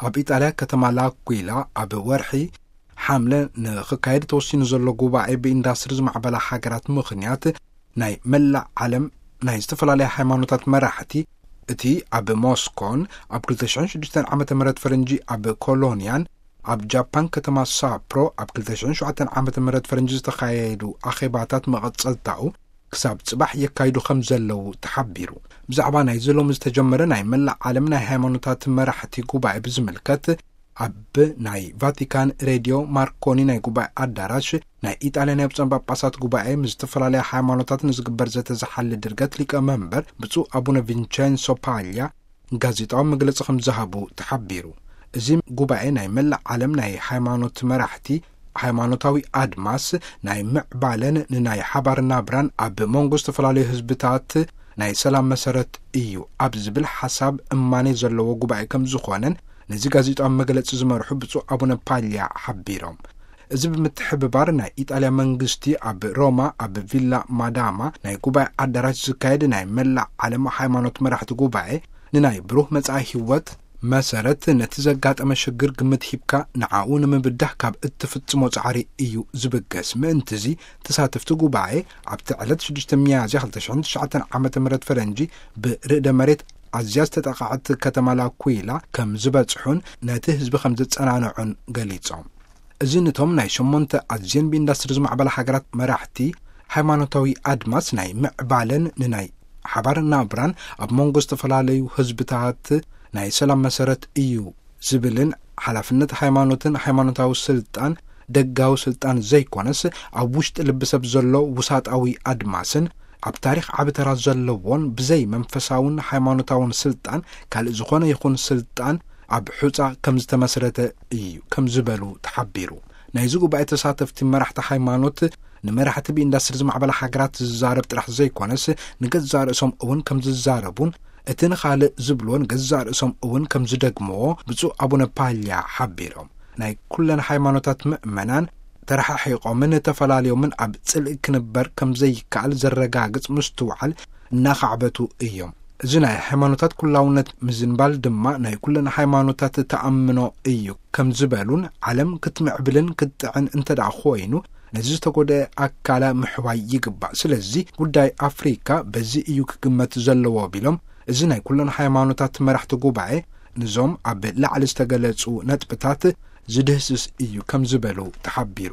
ኣብ ኢጣልያ ከተማ ላኩላ ኣብ ወርሒ ሓምለ ንኽካየድ ተወሲኑ ዘሎ ጉባኤ ብኢንዳስትሪ ዝማዕበላ ሃገራት ምኽንያት ናይ መላእ ዓለም ናይ ዝተፈላለያ ሃይማኖታት መራሕቲ፣ እቲ ኣብ ሞስኮን ኣብ ክልተ ሽሕን ሽዱሽተን ዓመተ ምህረት ፈረንጂ ኣብ ኮሎንያን ኣብ ጃፓን ከተማ ሳፕሮ ኣብ ክልተ ሽሕን ሸውዓተን ዓመተ ምህረት ፈረንጂ ዝተኻየዱ ኣኼባታት መቐጸልታኡ ክሳብ ጽባሕ የካይዱ ከም ዘለዉ ተሓቢሩ። ብዛዕባ ናይዚ ሎሚ ዝተጀመረ ናይ መላእ ዓለም ናይ ሃይማኖታት መራሕቲ ጉባኤ ብዝምልከት ኣብ ናይ ቫቲካን ሬድዮ ማርኮኒ ናይ ጉባኤ ኣዳራሽ ናይ ኢጣልያ ናይ ብፁዓን ጳጳሳት ጉባኤ ምስ ዝተፈላለያ ሃይማኖታት ንዝግበር ዘተ ዝሓሊ ድርገት ሊቀ መንበር ብፁዕ ኣቡነ ቪንቸንሶ ፓልያ ጋዜጣዊ መግለጺ ከም ዝሃቡ ተሓቢሩ። እዚ ጉባኤ ናይ መላእ ዓለም ናይ ሃይማኖት መራሕቲ፣ ሃይማኖታዊ ኣድማስ ናይ ምዕባለን ንናይ ሓባር ናብራን ኣብ መንጎ ዝተፈላለዩ ህዝብታት ናይ ሰላም መሰረት እዩ ኣብ ዝብል ሓሳብ እማኔ ዘለዎ ጉባኤ ከም ዝኾነን ነዚ ጋዜጣዊ መግለጺ ዝመርሑ ብፁዕ ኣቡነ ፓልያ ሓቢሮም። እዚ ብምትሕብባር ናይ ኢጣልያ መንግስቲ ኣብ ሮማ ኣብ ቪላ ማዳማ ናይ ጉባኤ ኣዳራሽ ዝካየድ ናይ መላእ ዓለም ሃይማኖት መራሕቲ ጉባኤ ንናይ ብሩህ መጻኢ ህይወት መሰረት ነቲ ዘጋጠመ ሽግር ግምት ሂብካ ንዓኡ ንምብዳህ ካብ እትፍጽሞ ጻዕሪ እዩ ዝብገስ። ምእንትዚ ተሳተፍቲ ጉባኤ ኣብቲ ዕለት ሽዱሽተ ሚያዝያ ክልተ ሽሕን ትሽዓተን ዓመተ ምህረት ፈረንጂ ብርእደ መሬት ኣዝያ ዝተጠቕዐት ከተማ ላኩላ ከም ዝበጽሑን ነቲ ህዝቢ ከም ዘጸናንዑን ገሊጾም። እዚ ነቶም ናይ ሸሞንተ ኣዝየን ብኢንዳስትሪ ዝማዕበላ ሃገራት መራሕቲ ሃይማኖታዊ ኣድማስ ናይ ምዕባለን ንናይ ሓባር ናብራን ኣብ መንጎ ዝተፈላለዩ ህዝብታት ናይ ሰላም መሰረት እዩ ዝብልን ሓላፍነት ሃይማኖትን ሃይማኖታዊ ስልጣን ደጋዊ ስልጣን ዘይኮነስ ኣብ ውሽጢ ልቢ ሰብ ዘሎ ውሳጣዊ ኣድማስን ኣብ ታሪኽ ዓቢ ተራ ዘለዎን ብዘይ መንፈሳውን ሃይማኖታውን ስልጣን ካልእ ዝኾነ ይኹን ስልጣን ኣብ ሑጻ ከም ዝተመስረተ እዩ ከም ዝበሉ ተሓቢሩ። ናይዚ ጉባኤ ተሳተፍቲ መራሕቲ ሃይማኖት ንመራሕቲ ብኢንዳስትሪ ዝማዕበላ ሃገራት ዝዛረብ ጥራሕ ዘይኮነስ ንገዛእ ርእሶም እውን ከም ዝዛረቡን እቲ ንኻልእ ዝብልዎ ንገዛእ ርእሶም እውን ከም ዝደግምዎ ብፁዕ ኣቡነ ፓልያ ሓቢሮም። ናይ ኩለን ሃይማኖታት ምእመናን ተረሓሒቖምን ተፈላለዮምን ኣብ ጽልኢ ክንበር ከም ዘይከኣል ዘረጋግጽ ምስትውዓል እናኻዕበቱ እዮም። እዚ ናይ ሃይማኖታት ኩላውነት ምዝንባል ድማ ናይ ኩለን ሃይማኖታት ተኣምኖ እዩ ከም ዝበሉን ዓለም ክትምዕብልን ክትጥዕን እንተ ደኣ ኮይኑ ነዚ ዝተጎድአ ኣካላ ምሕዋይ ይግባእ። ስለዚ ጉዳይ ኣፍሪካ በዚ እዩ ክግመት ዘለዎ ቢሎም እዚ ናይ ኩለን ሃይማኖታት መራሕቲ ጉባኤ ንዞም ኣብ ላዕሊ ዝተገለጹ ነጥብታት ዝድህስስ እዩ ከም ዝበሉ ተሓቢሩ።